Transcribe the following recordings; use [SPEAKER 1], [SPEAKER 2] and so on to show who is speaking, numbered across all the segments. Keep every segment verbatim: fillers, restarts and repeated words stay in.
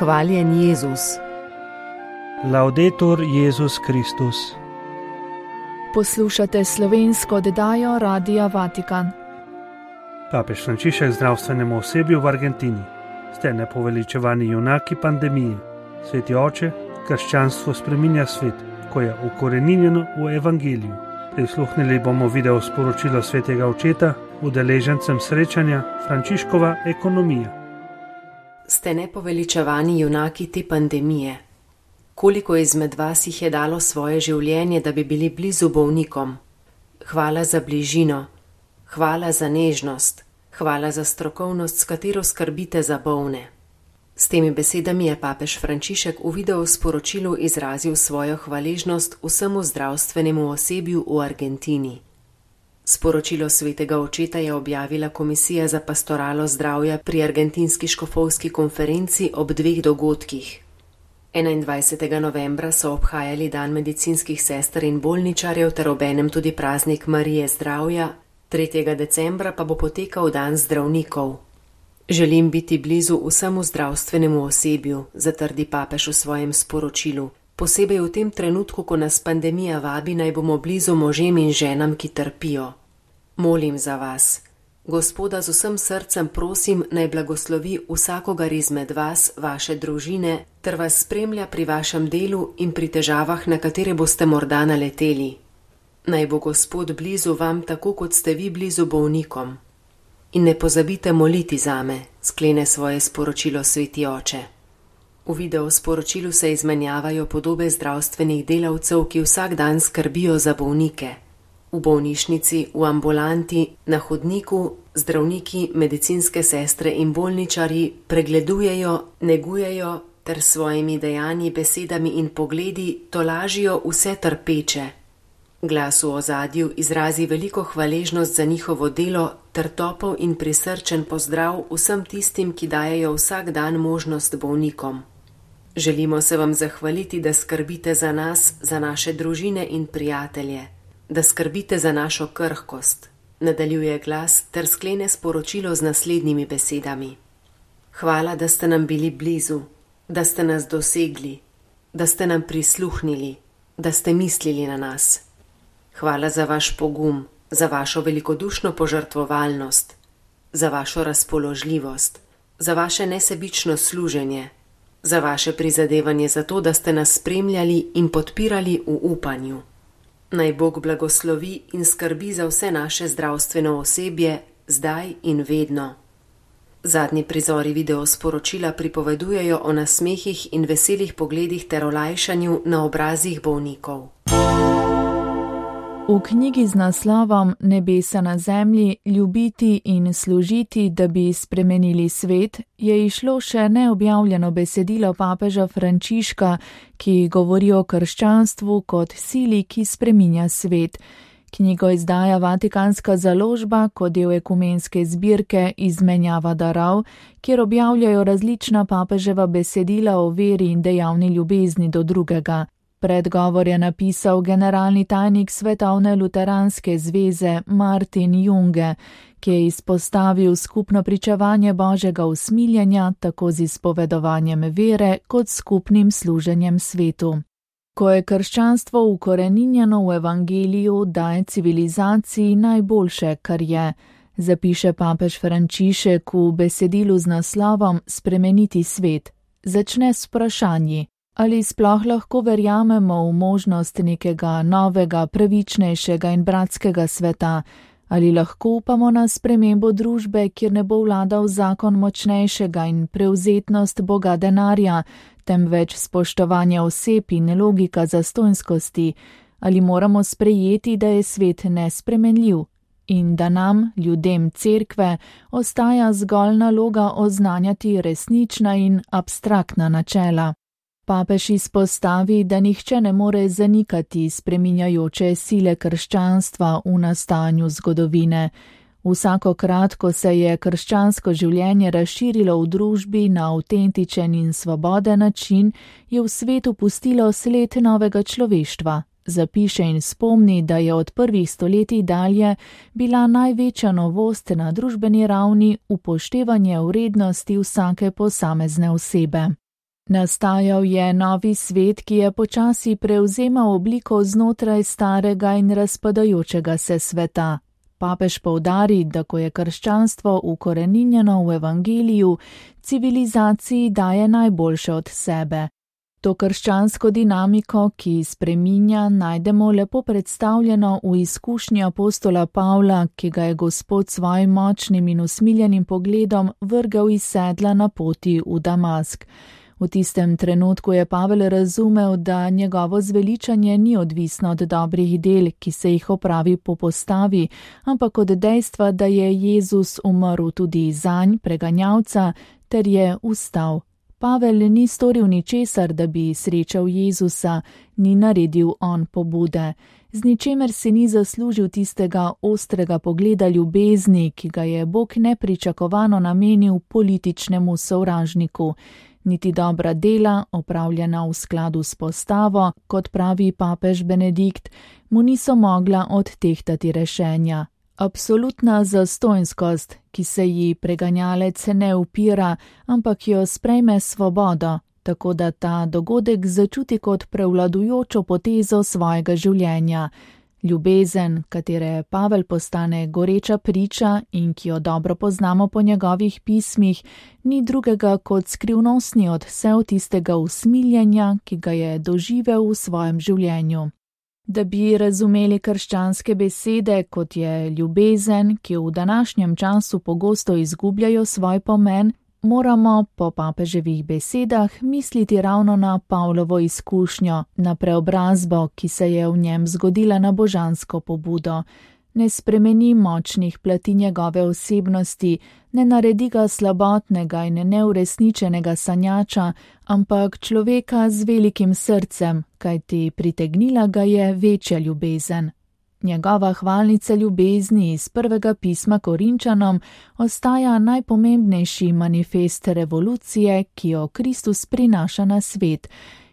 [SPEAKER 1] Hvaljen Jezus.
[SPEAKER 2] Laudetur Jezus Kristus.
[SPEAKER 3] Poslušate slovensko oddajo Radia Vatikan.
[SPEAKER 2] Papež Frančišek zdravstvenemu osebju v Argentini. Ste nepoveličevani junaki pandemije. Sveti oče, krščanstvo spreminja svet, ko je ukoreninjeno v evangeliju. Prisluhnili bomo video sporočilo svetega očeta udeležencem srečanja Frančiškova ekonomija.
[SPEAKER 1] Ste nepoveličevani junaki te pandemije. Koliko izmed vas jih je dalo svoje življenje, da bi bili blizu bolnikom? Hvala za bližino, hvala za nežnost, hvala za strokovnost, s katero skrbite za bolne. S temi besedami je papež Frančišek v video sporočilu izrazil svojo hvaležnost vsemu zdravstvenemu osebju v Argentini. Sporočilo svetega očeta je objavila Komisija za pastoralo zdravja pri argentinski škofovski konferenci ob dveh dogodkih. enaindvajsetega novembra so obhajali dan medicinskih sester in bolničarjev ter obenem tudi praznik Marije zdravja, tretjega decembra pa bo potekal dan zdravnikov. Želim biti blizu vsemu zdravstvenemu osebju, zatrdi papež v svojem sporočilu, posebej v tem trenutku, ko nas pandemija vabi, naj bomo blizu možem in ženam, ki trpijo. Molim za vas. Gospoda z vsem srcem prosim, naj blagoslovi vsakogar izmed vas, vaše družine, ter vas spremlja pri vašem delu in pri težavah, na katere boste morda naleteli. Naj bo Gospod blizu vam, tako kot ste vi blizu bolnikom. In ne pozabite moliti zame, sklene svoje sporočilo sveti oče. V video sporočilu se izmenjavajo podobe zdravstvenih delavcev, ki vsak dan skrbijo za bolnike. V bolnišnici, v ambulanti, na hodniku, zdravniki, medicinske sestre in bolničarji pregledujejo, negujejo ter svojimi dejanji, besedami in pogledi tolažijo vse trpeče. Glas v ozadju izrazi veliko hvaležnost za njihovo delo ter topel in prisrčen pozdrav vsem tistim, ki dajejo vsak dan možnost bolnikom. Želimo se vam zahvaliti, da skrbite za nas, za naše družine in prijatelje, da skrbite za našo krhkost, nadaljuje glas ter sklene sporočilo z naslednjimi besedami. Hvala, da ste nam bili blizu, da ste nas dosegli, da ste nam prisluhnili, da ste mislili na nas. Hvala za vaš pogum, za vašo velikodušno požrtvovalnost, za vašo razpoložljivost, za vaše nesebično služenje, za vaše prizadevanje za to, da ste nas spremljali in podpirali v upanju. Naj Bog blagoslovi in skrbi za vse naše zdravstveno osebje, zdaj in vedno. Zadnji prizori video sporočila pripovedujejo o nasmehih in veselih pogledih ter olajšanju na obrazih bolnikov.
[SPEAKER 3] V knjigi z naslovom Nebesa na zemlji, ljubiti in služiti, da bi spremenili svet, je išlo še neobjavljeno besedilo papeža Frančiška, ki govori o krščanstvu kot sili, ki spreminja svet. Knjigo izdaja Vatikanska založba kot del ekumenske zbirke Izmenjava darov, kjer objavljajo različna papeževa besedila o veri in dejavni ljubezni do drugega. Predgovor je napisal generalni tajnik Svetovne luteranske zveze Martin Junge, ki je izpostavil skupno pričevanje Božjega usmiljenja tako z izpovedovanjem vere kot skupnim služenjem svetu. Ko je krščanstvo ukoreninjeno v evangeliju, daje civilizaciji najboljše, kar je, zapiše papež Frančišek v besedilu z naslovom Spremeniti svet. Začne s vprašanji. Ali sploh lahko verjamemo v možnost nekega novega, pravičnejšega in bratskega sveta? Ali lahko upamo na spremembo družbe, kjer ne bo vladal zakon močnejšega in prevzetnost boga denarja, temveč spoštovanje oseb in logika zastonjskosti? Ali moramo sprejeti, da je svet nespremenljiv in da nam, ljudem cerkve, ostaja zgolj naloga oznanjati resnična in abstraktna načela? Papež izpostavi, da nihče ne more zanikati spreminjajoče sile krščanstva v nastajanju zgodovine. Vsakokrat, ko se je krščansko življenje razširilo v družbi na avtentičen in svoboden način, je v svetu pustilo sled novega človeštva. Zapiše in spomni, da je od prvih stoletij dalje bila največja novost na družbeni ravni upoštevanje vrednosti vsake posamezne osebe. Nastajal je novi svet, ki je počasi prevzemal obliko znotraj starega in razpadajočega se sveta. Papež poudari, da ko je krščanstvo ukoreninjeno v evangeliju, civilizaciji daje najboljše od sebe. To krščansko dinamiko, ki spreminja, najdemo lepo predstavljeno v izkušnji apostola Pavla, ki ga je Gospod svojim močnim in usmiljenim pogledom vrgel iz sedla na poti v Damask. V tistem trenutku je Pavel razumel, da njegovo zveličanje ni odvisno od dobrih del, ki se jih opravi po postavi, ampak od dejstva, da je Jezus umrl tudi zanj, preganjalca, ter je vstal. Pavel ni storil ničesar, da bi srečal Jezusa, ni naredil on pobude. Z ničemer se ni zaslužil tistega ostrega pogleda ljubezni, ki ga je Bog nepričakovano namenil političnemu sovražniku. Niti dobra dela, opravljena v skladu s postavo, kot pravi papež Benedikt, mu niso mogla odtehtati rešenja. Absolutna zastonjskost, ki se ji preganjalec ne upira, ampak jo sprejme svobodo, tako da ta dogodek začuti kot prevladujočo potezo svojega življenja. Ljubezen, katere Pavel postane goreča priča in ki jo dobro poznamo po njegovih pismih, ni drugega kot skrivnostni odsev tistega usmiljenja, ki ga je doživel v svojem življenju. Da bi razumeli krščanske besede, kot je ljubezen, ki v današnjem času pogosto izgubljajo svoj pomen, moramo po papeževih besedah misliti ravno na Pavlovo izkušnjo, na preobrazbo, ki se je v njem zgodila na božansko pobudo. Ne spremeni močnih plati njegove osebnosti, ne naredi ga slabotnega in neuresničenega sanjača, ampak človeka z velikim srcem, kajti pritegnila ga je večja ljubezen. Njegova hvalnica ljubezni iz prvega pisma Korinčanom ostaja najpomembnejši manifest revolucije, ki jo Kristus prinaša na svet,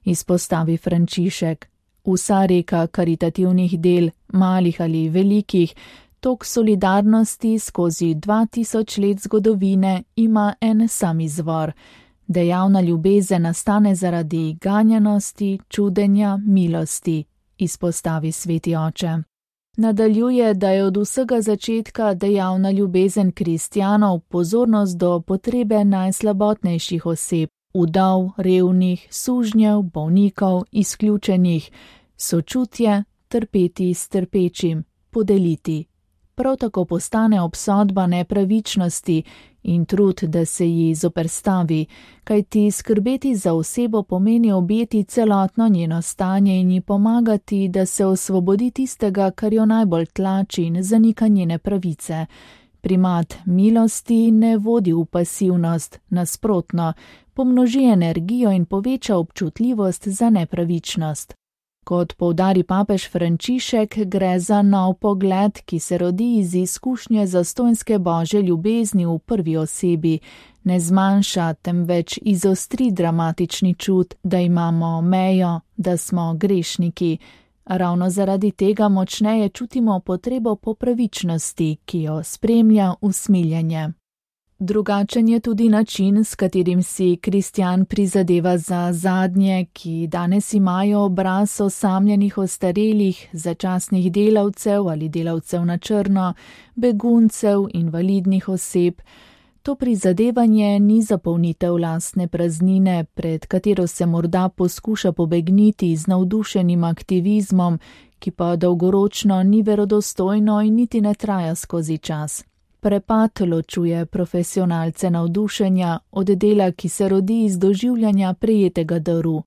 [SPEAKER 3] izpostavi Frančišek. Vsa reka karitativnih del, malih ali velikih, tok solidarnosti skozi dva tisoč let zgodovine ima en sam izvor. Dejavna ljubezen nastane zaradi ganjenosti, čudenja, milosti, izpostavi sveti oče. Nadaljuje, da je od vsega začetka dejavna ljubezen kristjanov pozornost do potrebe najslabotnejših oseb, vdov, revnih, sužnjev, bolnikov, izključenih, sočutje, trpeti s trpečim, podeliti. Prav tako postane obsodba nepravičnosti in trud, da se ji zoperstavi, kajti skrbeti za osebo pomeni objeti celotno njeno stanje in ji pomagati, da se osvobodi tistega, kar jo najbolj tlači in zanika njene pravice. Primat milosti ne vodi v pasivnost, nasprotno, pomnoži energijo in poveča občutljivost za nepravičnost. Kot poudari papež Frančišek, gre za nov pogled, ki se rodi iz izkušnje zastonjske božje ljubezni v prvi osebi, ne zmanjša, temveč izostri dramatični čut, da imamo mejo, da smo grešniki. Ravno zaradi tega močneje čutimo potrebo po pravičnosti, ki jo spremlja usmiljenje. Drugačen je tudi način, s katerim si kristjan prizadeva za zadnje, ki danes imajo obraz osamljenih ostarelih, začasnih delavcev ali delavcev na črno, beguncev, invalidnih oseb. To prizadevanje ni zapolnitev lastne praznine, pred katero se morda poskuša pobegniti z navdušenim aktivizmom, ki pa dolgoročno ni verodostojno in niti ne traja skozi čas. Prepad ločuje profesionalce navdušenja od dela, ki se rodi iz doživljanja prejetega daru.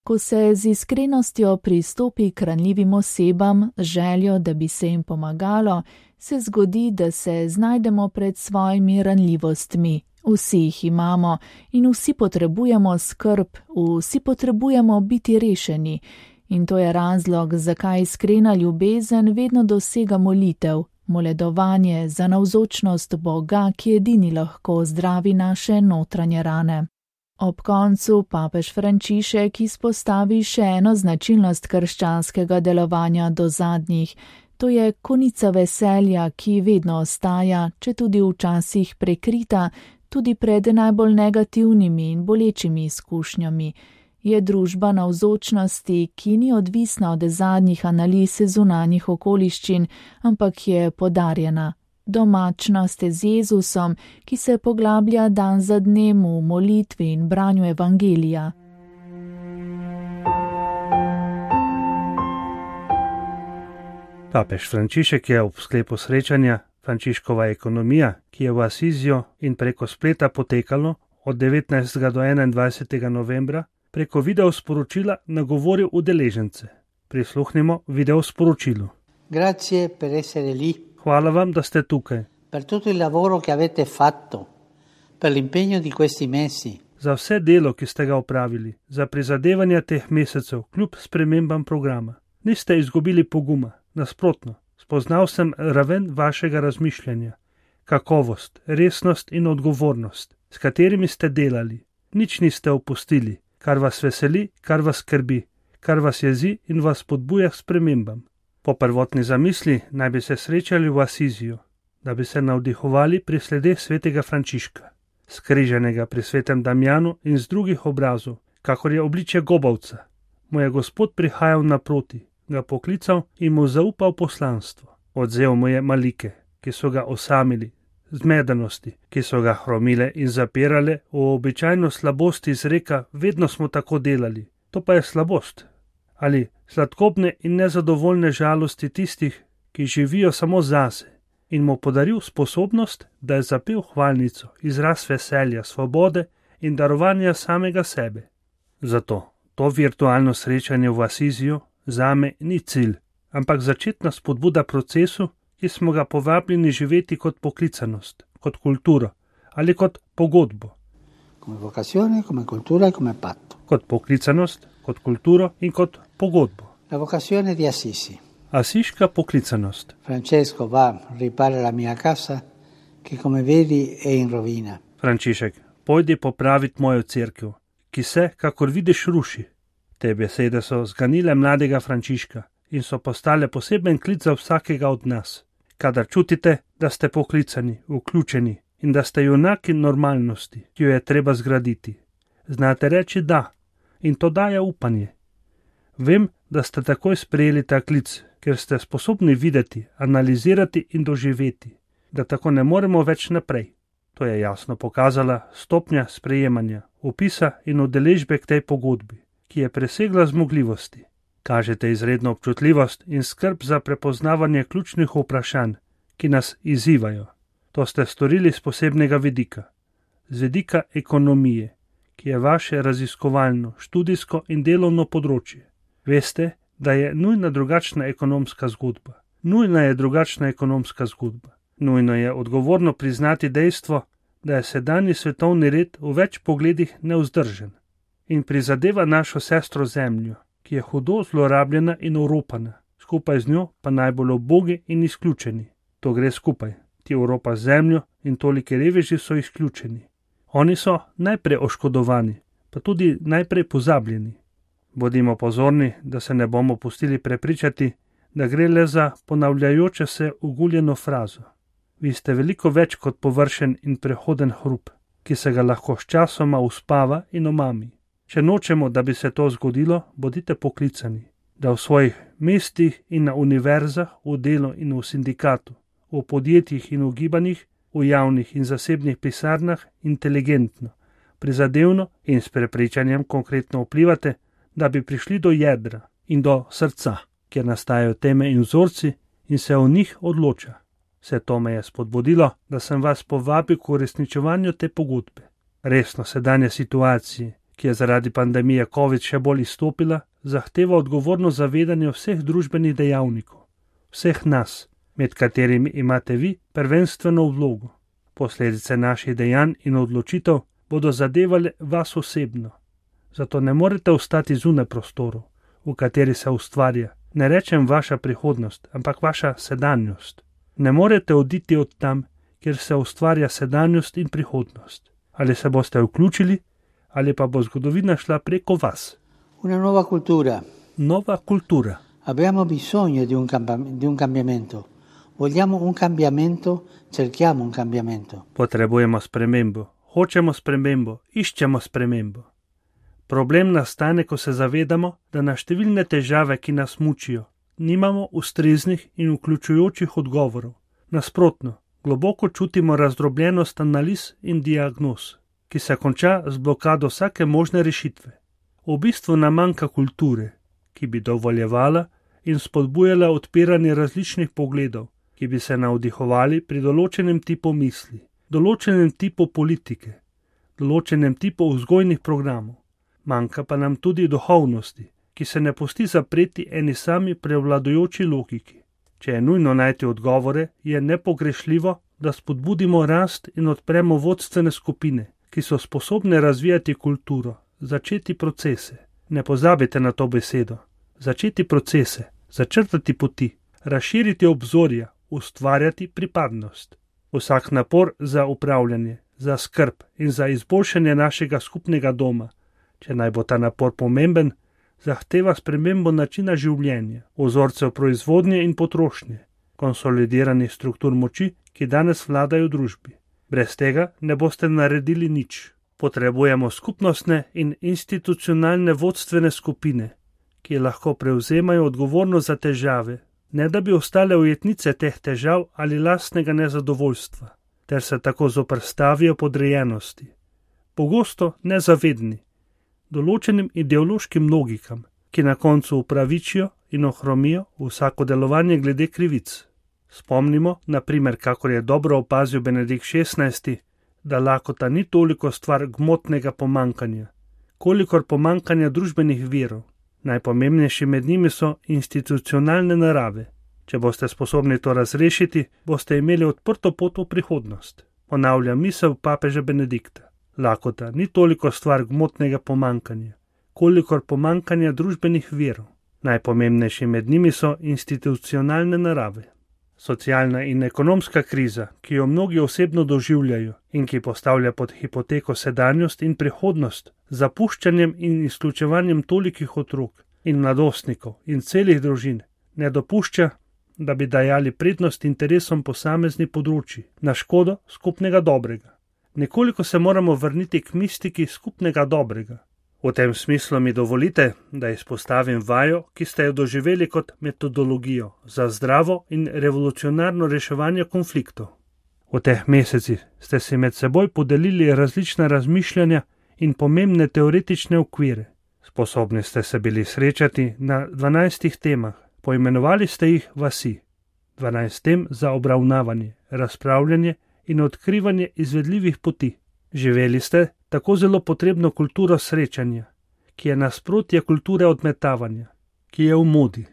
[SPEAKER 3] Ko se z iskrenostjo pristopi k ranljivim osebam, z željo, da bi se jim pomagalo, se zgodi, da se znajdemo pred svojimi ranljivostmi. Vsi jih imamo in vsi potrebujemo skrb, vsi potrebujemo biti rešeni. In to je razlog, zakaj iskrena ljubezen vedno dosega molitev. Moledovanje za navzočnost Boga, ki edini lahko zdravi naše notranje rane. Ob koncu papež Frančišek izpostavi še eno značilnost krščanskega delovanja do zadnjih. To je konica veselja, ki vedno ostaja, če tudi včasih prekrita, tudi pred najbolj negativnimi in bolečimi izkušnjami. Je družba navzočnosti, ki ni odvisna od zadnjih analiz zunanjih okoliščin, ampak je podarjena. Domačnost z Jezusom, ki se poglablja dan za dnem v molitvi in branju evangelija.
[SPEAKER 2] Papež Frančišek je ob sklepu srečanja Frančiškova ekonomija, ki je v Asizijo in preko spleta potekalo od devetnajstega do enaindvajsetega novembra, preko video sporočila nagovoril udeležence. Prisluhnimo video sporočilu.
[SPEAKER 4] Grazie per essere lì.
[SPEAKER 2] Hvala vam, da ste tukaj.
[SPEAKER 4] Per tutto il lavoro che avete fatto, per l'impegno di questi mesi.
[SPEAKER 2] Za vse delo, ki ste ga opravili, za prizadevanja teh mesecev, kljub spremembam programa. Niste izgubili poguma, nasprotno. Spoznal sem raven vašega razmišljanja, kakovost, resnost in odgovornost, s katerimi ste delali. Nič niste opustili, kar vas veseli, kar vas skrbi, kar vas jezi in vas spodbuja k spremembam. Po prvotni zamisli naj bi se srečali v Asiziju, da bi se navdihovali pri sledeh svetega Frančiška, skriženega pri svetem Damjanu in z drugih obrazov, kakor je obličje gobavca. Mu je Gospod prihajal naproti, ga poklical in mu zaupal poslanstvo. Odzel mu je malike, ki so ga osamili, zmedenosti, ki so ga hromile in zapirale v običajno slabosti izreka, vedno smo tako delali. To pa je slabost. Ali sladkobne in nezadovoljne žalosti tistih, ki živijo samo zase, in mu podaril sposobnost, da je zapel hvalnico, izraz veselja, svobode in darovanja samega sebe. Zato to virtualno srečanje v Asiziju zame ni cilj, ampak začetna spodbuda procesu, ki smo ga povabljeni živeti kot poklicanost, kot kulturo ali kot pogodbo.
[SPEAKER 4] Come vocazione, come cultura e come patto.
[SPEAKER 2] Kot poklicanost, kot kulturo in kot pogodbo.
[SPEAKER 4] La vocazione di Assisi.
[SPEAKER 2] Asiška poklicanost.
[SPEAKER 4] Francesco va, ripara la mia casa, che come vedi è in rovina.
[SPEAKER 2] Frančišek, pojdi popraviti mojo cerkev, ki se, kakor vidiš, ruši. Te besede so zganile mladega Frančiška in so postale poseben klic za vsakega od nas. Kadar čutite, da ste poklicani, vključeni in da ste junaki normalnosti, ki jo je treba zgraditi, znate reči da in to daje upanje. Vem, da ste takoj sprejeli ta klic, ker ste sposobni videti, analizirati in doživeti, da tako ne moremo več naprej. To je jasno pokazala stopnja sprejemanja, opisa in udeležbe k tej pogodbi, ki je presegla zmogljivosti. Kažete izredno občutljivost in skrb za prepoznavanje ključnih vprašanj, ki nas izzivajo. To ste storili z posebnega vidika, z vidika ekonomije, ki je vaše raziskovalno, študijsko in delovno področje. Veste, da je nujna drugačna ekonomska zgodba. Nujna je drugačna ekonomska zgodba. Nujno je odgovorno priznati dejstvo, da je sedanji svetovni red v več pogledih nevzdržen in prizadeva našo sestro Zemljo, ki je hudo zlorabljena in oropana, skupaj z njo pa najbolj ubogi in izključeni. To gre skupaj, ti Evropa z Zemljo in toliki reveži so izključeni. Oni so najprej oškodovani, pa tudi najprej pozabljeni. Bodimo pozorni, da se ne bomo pustili prepričati, da gre le za ponavljajoče se uguljeno frazo. Vi ste veliko več kot površen in prehoden hrup, ki se ga lahko sčasoma uspava in omami. Če nočemo, da bi se to zgodilo, bodite poklicani, da v svojih mestih in na univerzah, v delu in v sindikatu, v podjetjih in v gibanjih, v javnih in zasebnih pisarnah inteligentno, prizadevno in s prepričanjem konkretno vplivate, da bi prišli do jedra in do srca, kjer nastajajo teme in vzorci in se o njih odloča. Vse to me je spodbudilo, da sem vas povabil k uresničevanju te pogodbe. Resno sedanje situacije, ki je zaradi pandemije COVID še bolj izstopila, zahteva odgovorno zavedanje vseh družbenih dejavnikov, vseh nas, med katerimi imate vi prvenstveno vlogo. Posledice naših dejanj in odločitev bodo zadevale vas osebno. Zato ne morete ostati zunaj prostorov, v kateri se ustvarja, ne rečem vaša prihodnost, ampak vaša sedanjost. Ne morete oditi od tam, kjer se ustvarja sedanjost in prihodnost. Ali se boste vključili, ali pa bo zgodovina šla preko vas.
[SPEAKER 4] Una nuova cultura.
[SPEAKER 2] Nova kultura.
[SPEAKER 4] Abbiamo bisogno di un, cambi- di un cambiamento. Vogliamo un cambiamento, cerchiamo un cambiamento.
[SPEAKER 2] Potrebujemo spremembo, hočemo spremembo, iščemo spremembo. Problem nastane, ko se zavedamo, da na številne težave, ki nas mučijo, nimamo ustreznih in vključujočih odgovorov. Nasprotno, globoko čutimo razdrobljenost analiz in diagnoz, ki se konča z blokado vsake možne rešitve. V bistvu nam manjka kulture, ki bi dovoljevala in spodbujala odpiranje različnih pogledov, ki bi se navdihovali pri določenem tipu misli, določenem tipu politike, določenem tipu vzgojnih programov. Manjka pa nam tudi duhovnosti, ki se ne pusti zapreti eni sami prevladujoči logiki. Če je nujno najti odgovore, je nepogrešljivo, da spodbudimo rast in odpremo vodstvene skupine, ki so sposobne razvijati kulturo, začeti procese. Ne pozabite na to besedo. Začeti procese, začrtati poti, razširiti obzorja, ustvarjati pripadnost. Vsak napor za upravljanje, za skrb in za izboljšanje našega skupnega doma, če naj bo ta napor pomemben, zahteva spremembo načina življenja, vzorcev proizvodnje in potrošnje, konsolidiranih struktur moči, ki danes vladajo v družbi. Brez tega ne boste naredili nič. Potrebujemo skupnostne in institucionalne vodstvene skupine, ki lahko prevzemajo odgovornost za težave, ne da bi ostale ujetnice teh težav ali lastnega nezadovoljstva, ter se tako zoperstavijo podrejenosti. Pogosto nezavedni, določenim ideološkim logikam, ki na koncu upravičijo in ohromijo vsako delovanje glede krivic. Spomnimo, na primer, kakor je dobro opazil Benedikt šestnajsti, da lakota ni toliko stvar gmotnega pomankanja, kolikor pomankanja družbenih virov. Najpomembnejši med njimi so institucionalne narave. Če boste sposobni to razrešiti, boste imeli odprto pot v prihodnost. Ponavljam misel papeža Benedikta. Lakota ni toliko stvar gmotnega pomankanja, kolikor pomankanja družbenih virov. Najpomembnejši med njimi so institucionalne narave. Socialna in ekonomska kriza, ki jo mnogi osebno doživljajo in ki postavlja pod hipoteko sedanjost in prihodnost, zapuščanjem in izključevanjem tolikih otrok in mladostnikov in celih družin, ne dopušča, da bi dajali prednost interesom posamezni področji na škodo skupnega dobrega. Nekoliko se moramo vrniti k mistiki skupnega dobrega. V tem smislu mi dovolite, da izpostavim vajo, ki ste jo doživeli kot metodologijo za zdravo in revolucionarno reševanje konfliktov. V teh mesecih ste si med seboj podelili različna razmišljanja in pomembne teoretične okvire. Sposobni ste se bili srečati na dvanajstih temah, poimenovali ste jih vasi. dvanajst tem za obravnavanje, razpravljanje in odkrivanje izvedljivih poti. Živeli ste tako zelo potrebno kulturo srečanja, ki je nasprotje kulture odmetavanja, ki je v modi.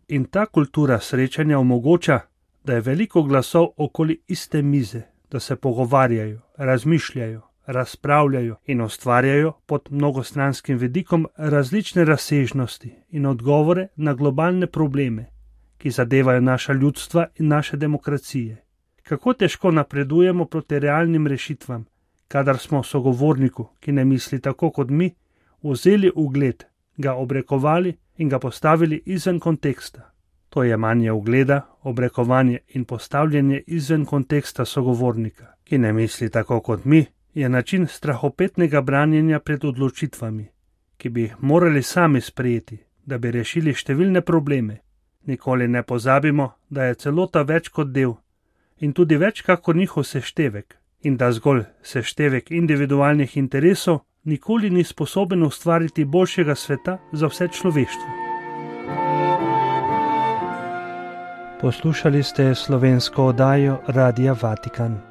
[SPEAKER 2] In ta kultura srečanja omogoča, da je veliko glasov okoli iste mize, da se pogovarjajo, razmišljajo, razpravljajo in ustvarjajo pod mnogostranskim vidikom različne razsežnosti in odgovore na globalne probleme, ki zadevajo naša ljudstva in naše demokracije. Kako težko napredujemo proti realnim rešitvam, kadar smo sogovorniku, ki ne misli tako kot mi, vzeli ugled, ga obrekovali in ga postavili izven konteksta. To je manje ugleda, obrekovanje in postavljanje izven konteksta sogovornika, ki ne misli tako kot mi, je način strahopetnega branjenja pred odločitvami, ki bi jih morali sami sprejeti, da bi rešili številne probleme. Nikoli ne pozabimo, da je celota več kot del in tudi več kakor njihov seštevek, in da zgolj seštevek individualnih interesov nikoli ni sposoben ustvariti boljšega sveta za vse človeštvo. Poslušali ste slovensko oddajo Radia Vatikan.